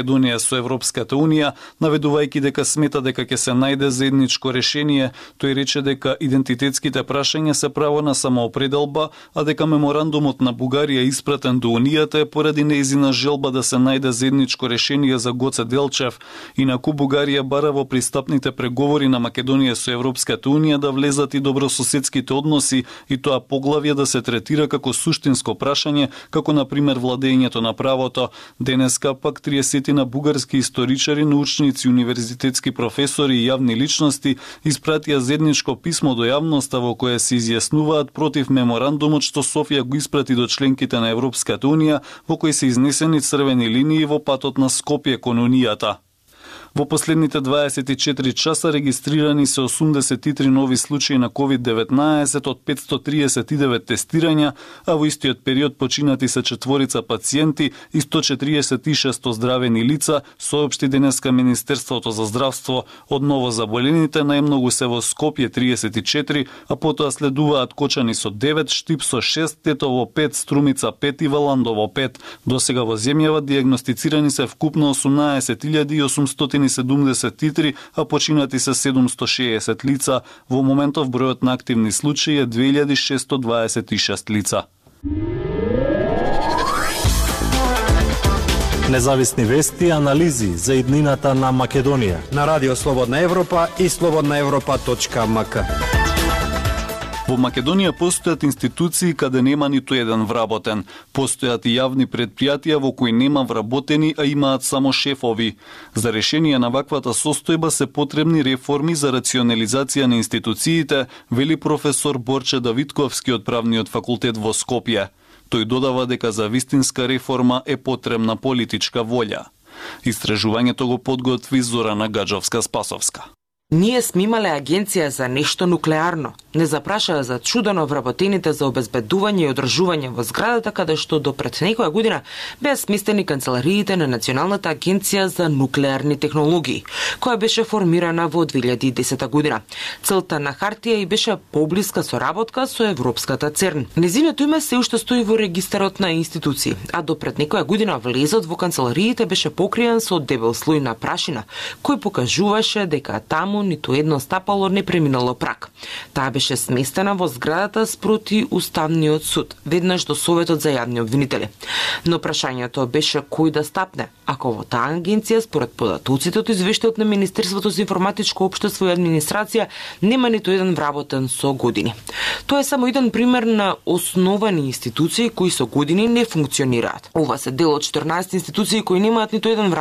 Македонија со Европската Унија, наведувајќи дека смета дека ќе се најде заедничко решение. Тој рече дека идентитетските прашања се право на самоопределба, а дека меморандумот на Бугарија испратен до Унијата е поради нејзина желба да се најде заедничко решение за Гоце Делчев. Инаку Бугарија бара во пристапните преговори на Македонија со Европската Унија да влезат и добрососедските односи и тоа поглавје да се третира како суштинско прашање, како на пример владењето на правото. Денеска пак 30 на бугарски историчари, научници, универзитетски професори и јавни личности испратија заедничко писмо до јавноста во кое се изјаснуваат против меморандумот што Софија го испрати до членките на Европската Унија, во кој се изнесени црвени линии во патот на Скопје кон Унијата. Во последните 24 часа регистрирани се 83 нови случаи на COVID-19 од 539 тестирања, а во истиот период починати се 4 пациенти и 146 оздравени лица, соопшти денеска Министерството за здравство. Од новозаболените најмногу се во Скопје 34, а потоа следуваат Кочани со 9, Штип со 6, Тетово 5, Струмица 5 и Валандово 5. Досега во земјава диагностицирани се вкупно 18.873, а починати се 760 лица. Во моментов бројот на активни случаи е 2626 лица. Независни вести и анализи за иднината на Македонија на Радио Слободна Европа и slobodnaevropa.mk. Во Македонија постојат институции каде нема ниту еден вработен. Постојат и јавни предпријатија во кои нема вработени, а имаат само шефови. За решение на ваквата состојба се потребни реформи за рационализација на институциите, вели професор Борче Давидковски од Правниот факултет во Скопје. Тој додава дека за вистинска реформа е потребна политичка волја. Истражувањето го подготви Зорана Гаджовска-Спасовска. Ние сме имале агенција за нешто нуклеарно. Не запрашаа за чудено вработените за обезбедување и одржување во зградата каде што до пред некоја година беа сместени канцелариите на Националната агенција за нуклеарни технологии, која беше формирана во 2010 година. Целта на хартија и беше поблиска соработка со Европската ЦЕРН. Незиното име се уште стои во регистарот на институции, а до пред некоја година влезот во канцелариите беше покриен со дебел слој на прашина, кој покажуваше дека таму ниту едно стапало не преминало праг. Таа беше сместена во зградата спроти Уставниот суд, веднаш до Советот за јавни обвинители. Но прашањето беше кој да стапне, ако во таа агенција, според податоците од извештајот на Министерството за информатичко општество и администрација, нема ниту еден вработен со години. Тоа е само еден пример на основани институции кои со години не функционираат. Ова се дел од 14 институции кои немаат ниту еден вработен.